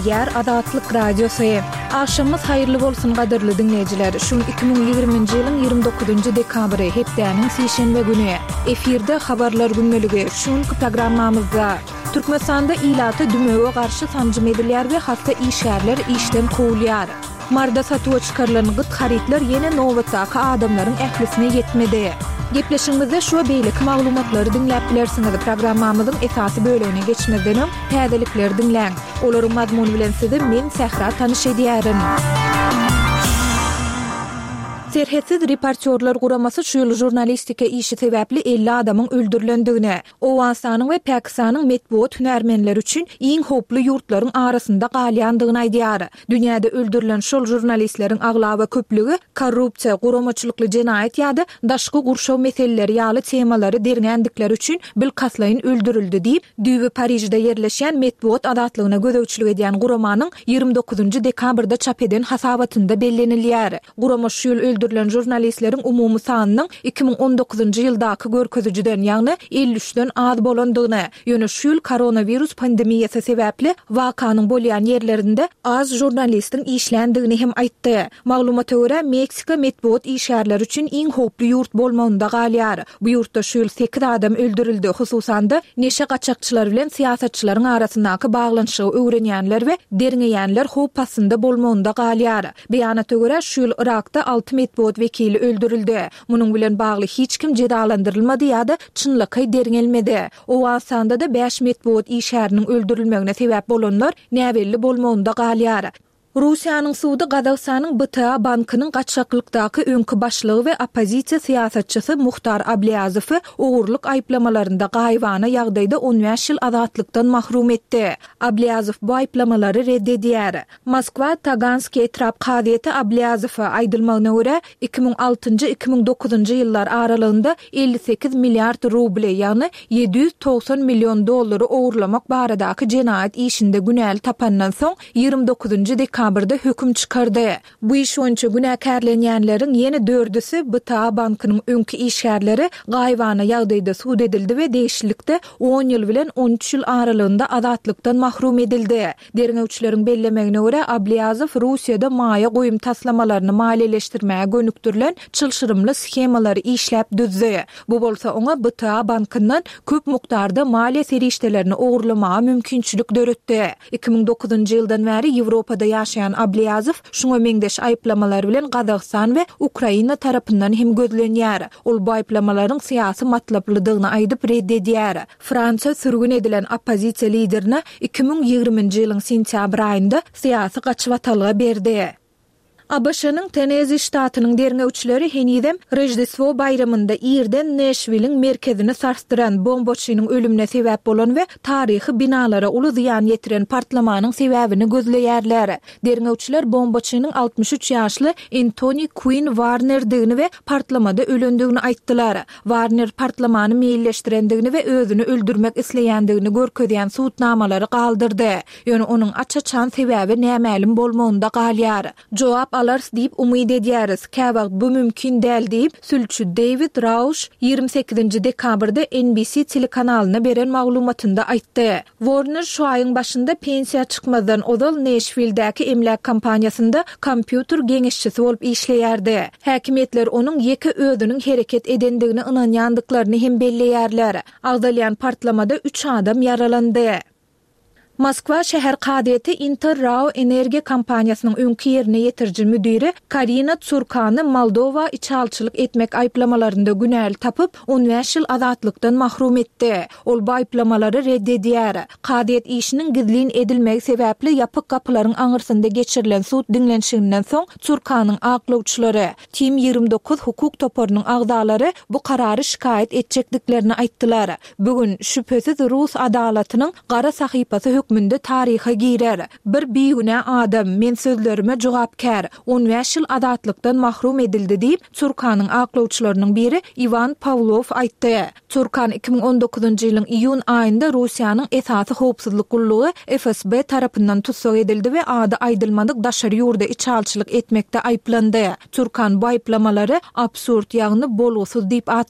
gepleýär Azatlyk Radiosy. Agşamyňyz haýyrly bolsun gadyrly diňleýjiler. Şu gün 2020-nji ýylyň 29-njy dekabry, hepdäniň sişenbe güni. Efirde Habarlar gündeligi. Şu günki programmamyzda Türkmenistanda ilata dümewe garşy sanjym edilýär we hassa işgärler işden kowulýar. Maryda satuwa çykarylan gyt harytlar ýene nobatdaky adamlaryň ählisine ýetmedi. Gepleşigimizde şu we beýleki maglumatlary diňläp bilersiňiz. Programmamyzyň esasy bölegine geçmezden öň, täzelikleri diňläň. Olaryň mazmuny bilen sizi men, Sähra tanyş edýärin. Serhetsiz reportýorlar guramasy şu ýyl žurnalistika işi sebäpli 50 adamyň öldürilendigini, Owganystanyň we Pakistanyň metbugat hünärmenleri üçin iň howply ýurtlaryň arasynda galýandygyny aýdýar. Dünýäde öldürilen şol žurnalistleriň aglaba köplügi korrupsiýa, guramaçylykly jenaýat ýa-da daşky gurşaw meseleleri ýaly temalary derňändikleri üçin bilkastlaýyn öldürildi diýip, düýbi Parižde ýerleşýän metbugat azatlygyna gözegçilik edýän guramanyň 29 dekabrda çap eden hasabatynda bellenilýär. Gurama şu ýyl öldürilen žurnalistleriň umumy sanynyň 2019-njy ýyldaky görkezijiden, ýagny 53-den az bolandygyny, ýöne şu ýyl koronawirus pandemiýasy sebäpli wakanyň bolýan ýerlerinde az žurnalistiň işländigini hem aýtdy. Maglumata görä, Meksika metbugat işgärleri üçin iň howply ýurt bolmagynda galýar. Bu ýurtda şu ýyl sekiz adam öldürildi, hususan-da, neşe gaçakçylary bilen syýasatçylaryň arasyndaky baglanyşygy öwrenýänler we derňeýänler howp astynda bolmagynda galýar. Beýanata görä, şu ýyl Yrakda alty metbugat wekili öldürildi. Munuň bilen bagly hiç kim jezalandyrylmady ýa-da çynlakaý derňelmedi. Owganystanda-da bäş metbugat işgäriniň öldürilmegine sebäp bolanlar näbelli bolmagynda galýar. Russiýanyň sudy Gazagystanyň BTA bankynyň gaçgaklykdaky öňki başlygy we oppozisiýa syýasatçysy Muhtar Ablýazowy ogurlyk aýyplamalarynda gaýybana ýagdaýda on bäş ýyl azatlykdan mahrum etdi. Ablýazow bu aýyplamalary red edýär. Moskwa Taganskiý etrap kazyýeti Ablýazowa, aýdylmagyna görä, 2006-njy, 2009-njy ýyllar aralygynda 58 milliard rubly, ýagny 790 million dollary ogurlamak baradaky jenaýat işinde günäli tapandan soň, 29-njy dekabrda höküm çykardy. Bu iş boýunça günäkärlenýänleriň ýene dördüsi BTA bankynyň öňki işgärleri gaýybana ýagdaýda sud edildi we degişlilikde on ýyl bilen on üç ýyl aralygynda azatlykdan mahrum edildi. Derňewçileriň bellemegine görä, Ablýazow Russiýada maýa goýum taslamalaryny maliýeleşdirmäge gönükdirilen çylşyrymly shemalary işläp düzdi. Bu bolsa oňa BTA bankyndan köp mukdarda maliýe serişdelerini ogurlamaga mümkinçilik döretdi. 2009-njy ýyldan bäri Ýewropada ýaşaýan Ablýazow şuňa meňzeş aýyplamalar bilen Gazagystan we Ukraina tarapyndan hem gözlenýär. Ol bu aýyplamalaryň syýasy matlaplydygyny aýdyp red edýär. Fransiýa sürgün edilen oppozisiýa liderine 2020-nji ýylyň sentýabr aýynda syýasy gaçybatalga berdi. ABŞ-nyň Tennezi ştatynyň derňewçileri henizem Roždestwo baýramynda irden Neşwiliň merkezini sarsdyran bombaçynyň ölümine sebäp bolan we taryhy binalara uly zyýan ýetiren partlamanyň sebäbini gözleýärler. Derňewçiler bombaçynyň 63 ýaşly Entoni Kuinn Warnerdigini we partlamada ölendigini aýtdylar. Warner partlamany meýilleşdirendigini we özüni öldürmek isleýändigini görkezýän subutnamalary galdyrdy. Ýöne onuň aç-açan sebäbi nämälim bolmagynda galýar. Jogap alarys diýip umyt edýäris. Käwagt bu mümkin däl diýip, sülçi Deýwid Rauş 28-nji dekabrda NBC telekanalyna beren maglumatynda aýtdy. Warner şu aýyň başynda pensiýa çykmazdan ozal Neşwildäki emläk kompaniýasynda kompýuter geňeşçisi bolup işleýärdi. Häkimiýetler onuň ýeke özüniň hereket edendigine ynanýandyklaryny hem belleýärler. Agzalýan partlamada üç adam ýaralandy. Moskwa şäher kazyýeti Inter RAO energiýa kompaniýasynyň öňki ýerine ýetiriji müdiri Karina Tsurkany Moldowa içalyçylyk etmek aýyplamalarynda günäli tapyp, on bäş ýyl azatlykdan mahrum etdi. Ol bu aýyplamalary red edýär. Kazyýet işiniň gizlin edilmegi sebäpli ýapyk gapylaryň aňyrsynda geçirilen sud diňlenişiginden soň Tsurkanyň aklawçylary, Team 29 hukuk toparynyň agzalary bu karary şikaýat etjekdiklerini aýtdylar. Bu gün, şübhesiz, rus adalatynyň gara sahypasy hökmünde taryha girer. Bir bigünä adam, men sözlerime jogapkär, on bäş ýyl azatlykdan mahrum edildi diýip, Tsurkanyň aklawçylarynyň biri Iwan Pawlow aýtdy. Tsurkan 2019-njy ýylyň iýun aýynda Russiýanyň esasy howpsuzlyk gullugy FSB tarapyndan tussag edildi we ady aýdylmadyk daşary ýurda içalyçylyk etmekde aýyplandy. Tsurkan bu aýyplamalary absurd, ýagny bolgusyz diýip atlandyrdy.